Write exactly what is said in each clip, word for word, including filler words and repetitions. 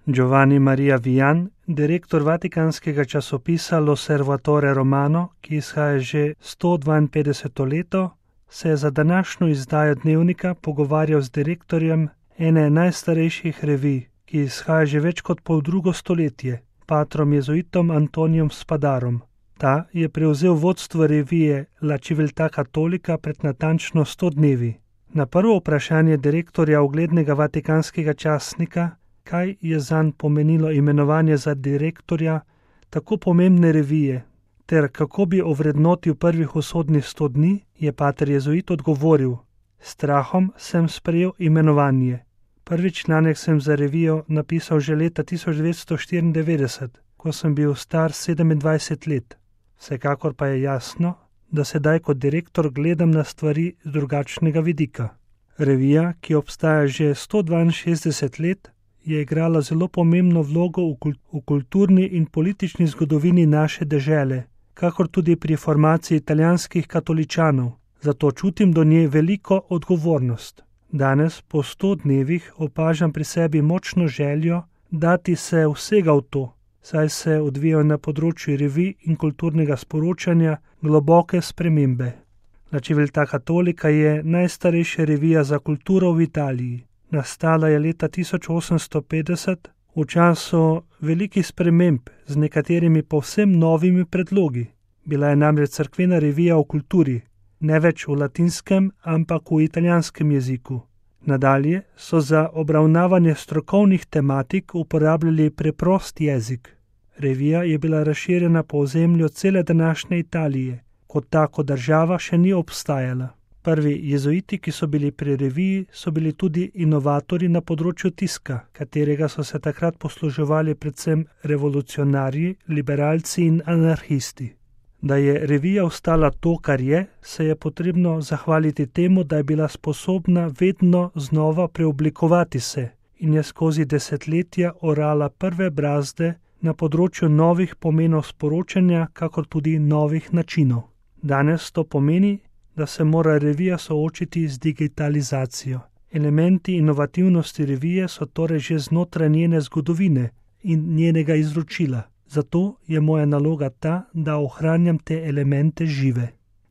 Giovanni Maria Vian, direktor vatikanskega časopisa L'Osservatore Romano, ki izhaja že sto dvainpetdeseto leto, se je za današnjo izdajo dnevnika pogovarjal z direktorjem ene najstarejših revij, ki izhaja že več kot poldrugo stoletje, patrom jezuitom Antonijem Spadarom. Ta je prevzel vodstvo revije La Civiltà Cattolica pred natančno sto dnevi. Na prvo vprašanje direktorja uglednega vatikanskega časnika, kaj je zanj pomenilo imenovanje za direktorja tako pomembne revije, ter kako bi ovrednotil prvih usodnih sto dni, je pater jezuit odgovoril: strahom sem sprejel imenovanje. Prvi članek sem za revijo napisal že leta tisoč devetsto štiriindevetdeset, ko sem bil star sedemindvajset let. Vsekakor pa je jasno, da sedaj kot direktor gledam na stvari z drugačnega vidika. Revija, ki obstaja že sto dvainšestdeset let, je igrala zelo pomembno vlogo v, kult- v kulturni in politični zgodovini naše dežele, kakor tudi pri formaciji italijanskih katoličanov, zato čutim do nje veliko odgovornost. Danes, po sto dnevih, opažam pri sebi močno željo dati se vsega v to, saj se odvijajo na področju revij in kulturnega sporočanja globoke spremembe. La Civiltà Cattolica je najstarejša revija za kulturo v Italiji. Nastala je leta tisoč osemsto petdeset v času velikih sprememb z nekaterimi povsem novimi predlogi. Bila je namreč cerkvena revija o kulturi, ne več v latinskem, ampak v italijanskem jeziku. Nadalje so za obravnavanje strokovnih tematik uporabljali preprost jezik. Revija je bila razširjena po ozemlju cele današnje Italije, kot tako država še ni obstajala. Prvi jezuiti, ki so bili pri reviji, so bili tudi inovatorji na področju tiska, katerega so se takrat posluževali predvsem revolucionarji, liberalci in anarhisti. Da je revija ostala to, kar je, se je potrebno zahvaliti temu, da je bila sposobna vedno znova preoblikovati se in je skozi desetletja orala prve brazde na področju novih pomenov sporočanja, kakor tudi novih načinov. Danes to pomeni, da se mora revija soočiti z digitalizacijo. Elementi inovativnosti revije so torej že znotraj njene zgodovine in njenega izročila. Zato je moja naloga ta, da ohranjam te elemente žive.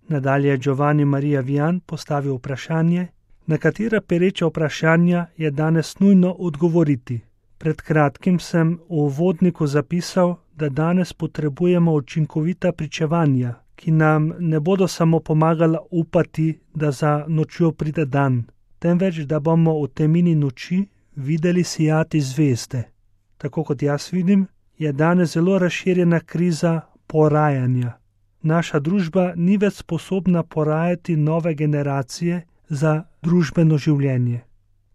Nadalje je Giovanni Maria Vian postavil vprašanje, na katera pereča vprašanja je danes nujno odgovoriti. Pred kratkim sem v uvodniku zapisal, da danes potrebujemo učinkovita pričevanja, ki nam ne bodo samo pomagala upati, da za nočjo pride dan, temveč da bomo v temini noči videli sijati zvezde. Tako kot jaz vidim, je danes zelo razširjena kriza porajanja. Naša družba ni več sposobna porajati nove generacije za družbeno življenje.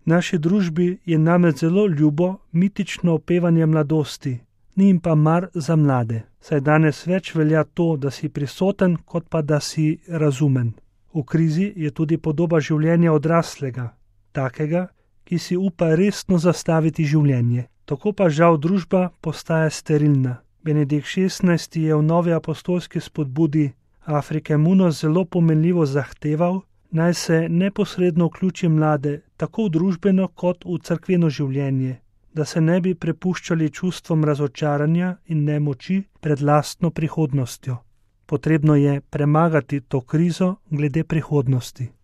Naši družbi je namreč zelo ljubo mitično opevanje mladosti, ni jim pa mar za mlade, saj danes več velja to, da si prisoten, kot pa da si razumen. V krizi je tudi podoba življenja odraslega, takega, ki si upa resno zastaviti življenje. Tako pa žal družba postaja sterilna. Benedikt šestnajsti je v novi apostolski spodbudi Afrike Muno zelo pomenljivo zahteval, naj se neposredno vključi mlade tako v družbeno kot v cerkveno življenje, da se ne bi prepuščali čustvom razočaranja in nemoči pred lastno prihodnostjo. Potrebno je premagati to krizo glede prihodnosti.